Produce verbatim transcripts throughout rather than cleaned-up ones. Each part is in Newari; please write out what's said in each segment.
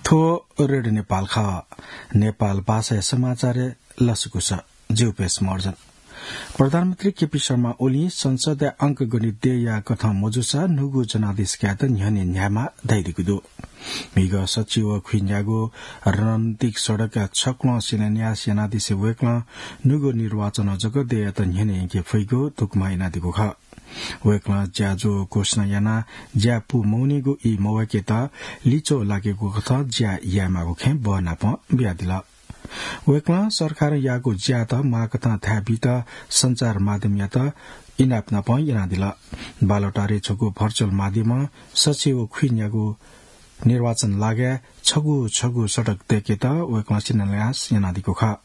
थ्व रेडियो नेपाल खः। नेपाल भाषाया समाचारय् लसकुस। ज्यू पेश मर्जन। प्रधानमन्त्री केपी शर्मा ओलीं संसदया अंकगणित देय्‌या कथं मजूसा न्हूगु जनादेश कायेत न्ह्यःने न्ह्यायेमाः धयादीगु दु। म्हिगः सच्छि व खुइन्यागू रणनीतिक सडकया छक्वलं शिलान्यास यानादिसें वय्‌कलं न्हूगु निर्वाचनं जक देय्‌यात न्ह्यःने यंके फइगु धुकमा यानादीगु खः। वय्‌कलं ज्याझ्वः घोषणा यानाः ज्या पू मवनीगु ई मवय्‌केत लिच्वः लागेगु कथं ज्या यायेमाःगु खँय् बहनापं बियादिल। वय्‌कलं सरकारं याःगु ज्यात माःकथं थाय् बीत सञ्चार माध्यमयात इनाप नापं यानादिल। बालुवाटारय् छगू virtual माध्यमं सच्छि व खुइन्यागू निर्वाचन लागाय् छगू छगू सडक दय्‌केत वय्‌कलं शिलान्यास यानादीगु खः।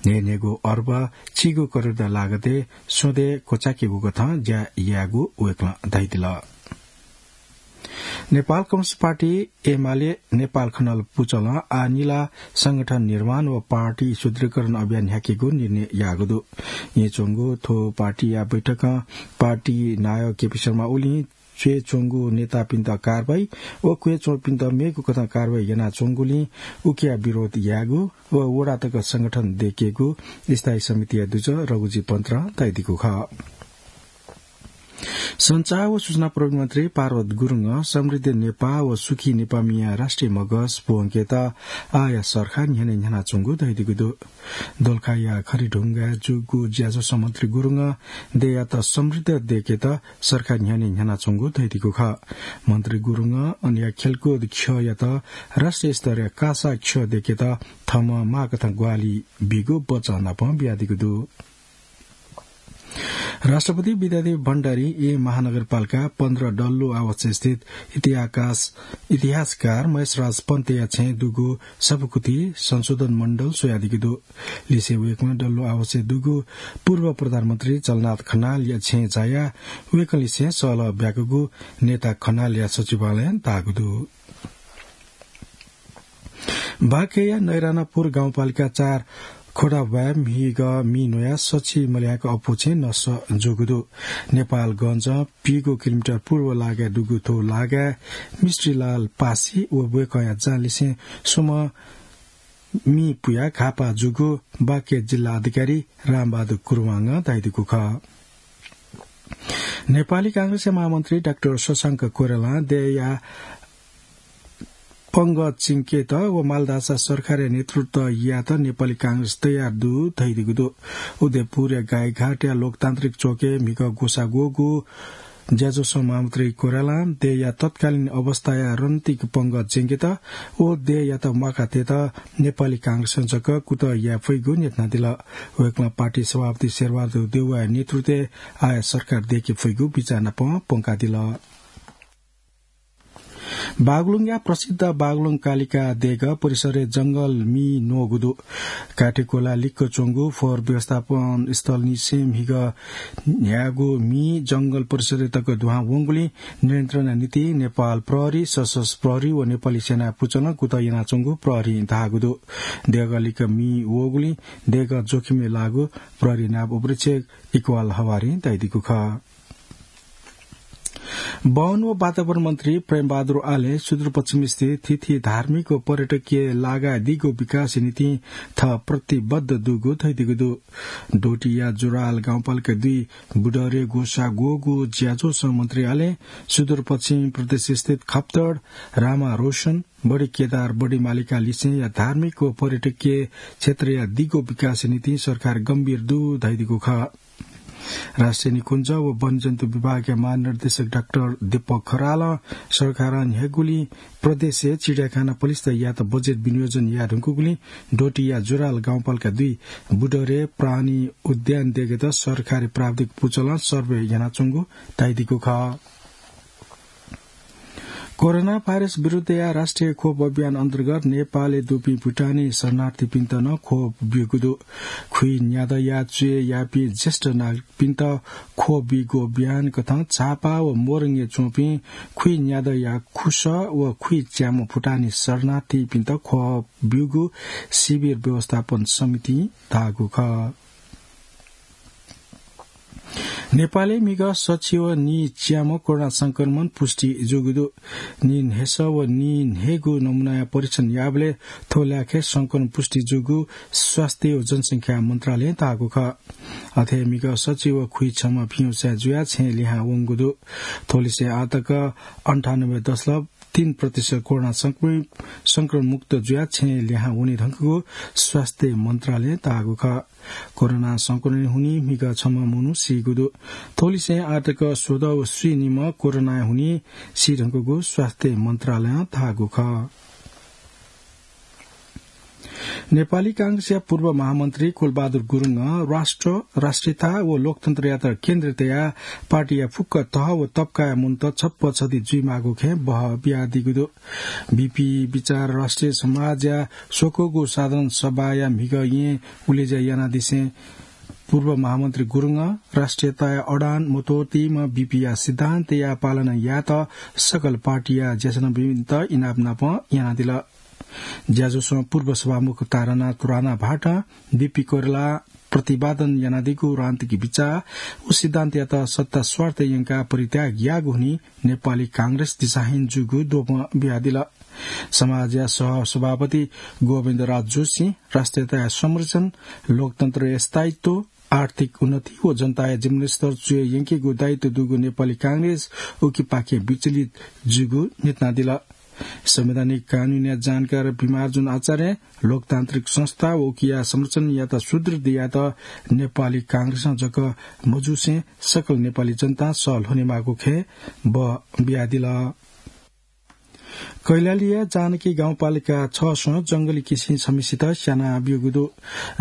न्हय्‌न्हय्‌गू अर्ब चीगू करोड लागतय् स्वदँय् क्वचाकेगु कथं ज्या यायेगु वय्‌कलं धयादिल। नेपाल कम्युनिस्ट पार्टी एमाले नेपाल खनाल पुचलं आः निला संगठन निर्माण व पार्टी सुदृढीकरण अभियान न्ह्याकेगु निर्णय याःगु दु। येँच्वंगु थ्व पार्टीया बैठकं पार्टी नायः केपी शर्मा ओलीं च्वय् च्वंगु नेतापिन्त कारवाही व क्वय् च्वंपिन्त मेगु कथं कारवाही यानाच्वंगुलिं उकिया विरोध यायेगु व वडा तक संगठन दय्‌केगु स्थायी समितिया दुजः रघुजी पन्तरं धयादीगु खः। सञ्चार व सूचना प्रविधि मन्त्री पार्वत गुरुङं समृद्ध नेपाः व सुखी नेपाःमिया राष्ट्रिय मगस ब्वंकेत आःया सरकार न्ह्यःने न्ह्यानाच्वंगु धयादीगु दु। दोलखाया खरिढुङ्गाय् जूगु ज्याझ्वलय् मन्त्री गुरुङं देय्‌यात समृद्ध दय्‌केत सरकार न्ह्यःने न्ह्यानाच्वंगु धयादीगु खः। मन्त्री गुरुङं अनया खेलकुद ख्यःयात राष्ट्रिय स्तरया कासा ख्यः दय्‌केत थःम्हं माःकथं ग्वाहालि बीगु बचं नापं बियादीगु दु। राष्ट्रपति विद्यादेवी भण्डारीं येँ महानगरपालिका पन्ध्र डल्लो आवासय् स्थित इतिहास-, इतिहासकार महेशराज पन्तया छेँय् दुगु सफाकुथि संशोधन मण्डल स्वयादीगु दु। लिसें वय्‌कलं डल्लो आवासय् दुगु पूर्व प्रधानमन्त्री जलनाथ खनालया छेँय् झायाः वय्‌कःलिसें सहलह ब्याकूगु नेता खनालया सचिवालयं धाःगु दु। बाँकेया नैरानापुर गाउँपालिका चार खोडाबाय् म्हिगः मि न्वयाः सछि मल्याक अप्वःछेँ नष्ट जूगु दु। नेपालगञ्जं पीगू किलोमिटर पूर्व लागाय् दुगु थ्व लागाय् मिस्त्रीलाल पासी व वय्‌कःया जहानलिसें स्वम्ह मि पुयाः घाःपाः जूगु बाँके जिल्ला अधिकारी रामबहादुर कुरुवाङं धयादीगु खः। नेपाली कांग्रेसया महामन्त्री डाक्टर शशांक कोइरालां देय्‌या पंगः च्यंकेत व मालधाःसा सरकारया नेतृत्व यायेत नेपाली कांग्रेस तयार दु धयादीगु दु। उदयपुरया गाईघाटया लोकतान्त्रिक चोकय् म्हिगः ग्वसाः ग्वःगु ज्याझ्वलय् महामन्त्री कोइरालां देय्‌या तत्कालीन अवस्थाया रणनीतिक पंगः च्यंकेत व देय्‌यात म्वाका तयेत नेपाली कांग्रेसं जक कुतः याये फइगु न्ह्यथनादिल। वय्‌कलं पार्टी सभापति शेरबहादुर देउवाया नेतृत्वय् आःया सरकार दयेके फइगु बिचाः नापं प्वंकादिल। बागलुङया प्रसिद्ध बागलुङ कालिका देगः परिसरय् जंगल मि न्वःगु दु। काठीकोला लिक्क च्वंगु फोहोर व्यवस्थापन स्थलनिसें म्हिगः न्ह्यागू मि जंगल परिसरय् तक दुहां वंगुलिं नियन्त्रणया निंतिं नेपाल प्रहरी, सशस्त्र प्रहरी व नेपाली सेनाया पुचलं कुतः यानाच्वंगु प्रहरीं धाःगु दु। देगः लिक्क मि वःगुलिं देगः जोखिमय् लाःगु प्रहरी नायब उपरीक्षक इकबाल हवारीं धयादीगु खः। वन व वातावरण मन्त्री प्रेमबहादुर आलें सुदूरपश्चिम स्थित थीथी धार्मिक व पर्यटकीय लागाय् दीगु विकासया निंतिं थः प्रतिबद्ध दुगु धयादीगु दु। डोटीया जुराहाल गाउँपालिका दुई बुडरे ग्वसाः ग्वःगु ज्याझ्वलय् मन्त्री आलें सुदूरपश्चिम प्रदेश स्थित खप्तड, रामा रोशन, बडी केदार, बडी मालिका लिसेंया धार्मिक व पर्यटकीय क्षेत्रया दीगु विकासया निंतिं सरकार गम्भीर दु धयादीगु खः। राष्ट्रिय निकुञ्ज व वन्यजन्तु विभागया महानिर्देशक डाक्टर दीपक खरालं सरकारं न्ह्यागुलिं प्रदेशय् चिडियाखाना पलिस्था यायेत बजेट विनियोजन याये धुंकूगुलिं डोटीया जुराहाल गाउँपालिका दुई बुडरे प्राणी उद्यान देगःयात सरकारी प्राविधिक पुचलं सर्वे यानाच्वंगु धयादीगु खः। कोरोना भाइरस विरुद्धया राष्ट्रिय खोप अभियान अन्तर्गत नेपालय् दुपिं भुटानी शरणार्थीपिन्त नं खोप ब्यूगु दु। खुइन्यादँया च्वय् याःपिं ज्येष्ठ नागरिकपिन्त खोप बीगु अभियान कथं झापा व मोरङय् च्वंपिं खुइन्यादँया खुसः व खुइच्याम्ह भुटानी शरणार्थीपिन्त खोप ब्यूगु शिविर व्यवस्थापन समितिं धाःगु खः। नेपालय् म्हिगः सच्छि व नीच्याम्ह कोरोना संक्रमण पुष्टि जूगु दु। नीन्हय्‌सः व नीन्हय्‌गू नमूनाया परीक्षण याःबलय् थ्व ल्याखय् संक्रमण पुष्टि जूगु स्वास्थ्य व जनसंख्या मन्त्रालयं धाःगु खः। अथे म्हिगः सच्छि व खुइछम्ह भिंगु स्वयाः जुयाः छेँय् लिहां वंगु दु। थ्वलिसे आःतक अन्ठानब्बे दशमलव तीन प्रतिशत कोरोना संक्रमित, संक्रमणमुक्त जुयाः छेँय् लिहां वने धुंकूगु स्वास्थ्य मन्त्रालयं धाःगु खः। कोरोना संक्रमण हुनिं म्हिगः छम्ह मनू सीगु दु। थ्वलिसे आःतक स्वदँ व स्वीनिम्ह कोरोना हुनिं सी धुंकूगु स्वास्थ्य मन्त्रालयं धाःगु खः। नेपाली कांग्रेसया पूर्व महामन्त्री कुलबहादुर गुरुङं राष्ट्र, राष्ट्रियता व लोकतन्त्रयात केन्द्र तयाः पार्टीया फुक्क तह व तबकाया मनूत छप्पछति जुइमाःगु खँय् बह बियादीगु दु। बीपी विचार राष्ट्रिय समाजया स्वक्वःगु साधारण सभाया म्हिगः येँ उलेज्या यानादिसें पूर्व महामन्त्री गुरुङं राष्ट्रियताया अडान मत्वःतीम्ह बीपीया सिद्धान्तया पालना यायेत सकल पार्टीया ज्याझ्वःपिन्त इनाप नाप यानादिल। ज्याझ्वलय् पूर्व सभामुख तारानाथ राणा भाटं बीपी कोइरालां प्रतिपादन यानादीगु राजनीतिक बिचाः व सिद्धान्तयात सत्ता स्वार्थ यंकाः परित्याग याःगु हुनिं नेपाली कांग्रेस दिशाहीन जूगु द्वपं बियादिल। समाजया सहसभापति गोविन्द राज जोशीं राष्ट्रियताया संरक्षण, लोकतन्त्रया स्थायित्व, आर्थिक उन्नति व जनताया जीवनस्तर च्वय् यंकेगु दायित्व दुगु नेपाली कांग्रेस उकिपाखें विचलित जूगु न्ह्यथनादिल। संवैधानिक कानूनया जानकार भिमार्जुन आचार्यं लोकतान्त्रिक संस्था व उकिया संरक्षणयात सुदृढ यायेत नेपाली कांग्रेसं जक मजुसें सकल नेपाली जनतां सः ल्ह्वनेमाःगु खँय् बः बियादिल। कैलालीया जानकी गाउँपालिका छसं जंगली किसिं छम्हसित स्याना ब्यूगु दु।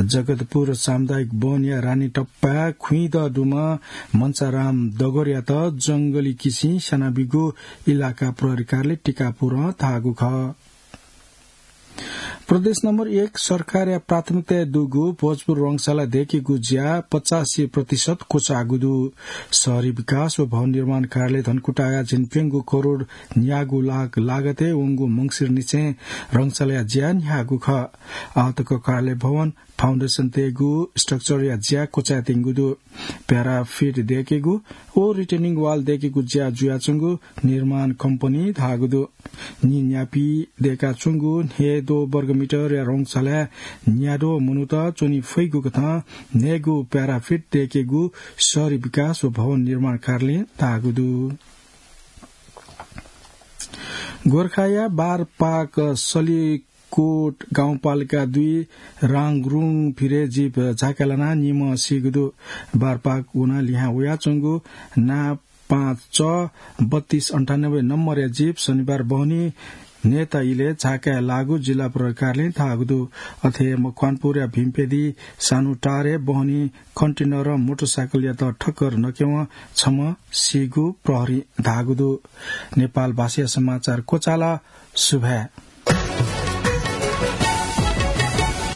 जगतपुर सामुदायिक वनया रानीटप्पा खुइदँ दुम्ह मन्चाराम डगरयात जंगली किसिं स्याना ब्यूगु इलाका प्रहरी कार्यालय टिकापुरं धाःगु खः। प्रदेश नम्बर एक सरकारया प्राथमिकताय् दुगु भोजपुर रंगशाला दय्‌केगु ज्या पचासी प्रतिशत क्वचाःगु दु। शहरी विकास व भवन निर्माण कार्यालय धनकुटाया झिंप्यंगू करोड न्यागू लाख लागतय् वंगु मंसिरनिसें रंगशालाया ज्या न्ह्याःगु खः। आःतक कार्यालय भवन, फाउन्डेसन तयेगु स्ट्रक्चरया ज्या क्वचायेत्यंगु दु। प्याराफिट दय्‌केगु व रिटेनिङ वाल दय्‌केगु ज्या जुयाच्वंगु निर्माण कम्पनीं धाःगु दु। नीन्यापी दय्‌काच्वंगु न्हय्‌द्वः वर्गमिटरया रंगशालाय् न्याद्वः मनूत च्वने फइगु कथं न्हय्‌गू प्याराफिट दय्‌केगु शहरी विकास व भवन निर्माण कार्यालयं धाःगु दु। गोरखाया बारपाक सली कोट गाउँपालिका दुई राङरुङ फिरे जीप झाकाय् लानाः निम्ह सीगु दु। बारपाक वनाः लिहां वयाच्वंगु ना पाँच च बत्तीस अन्ठानब्बे नम्बरया जीप शनिबार बहनी न्हय्‌ता इलय् झाकाय् लाःगु जिल्ला प्रहरी कार्यालयं धाःगु दु। अथे मकवानपुरया भीमपेदी सानुटारय् बहनी कन्टेनरं मोटरसाइकलयात ठक्कर नकेवं छम्ह सीगु प्रहरीं धाःगु दु। नेपाल भाषाया समाचार क्वचाल। सुभाय्।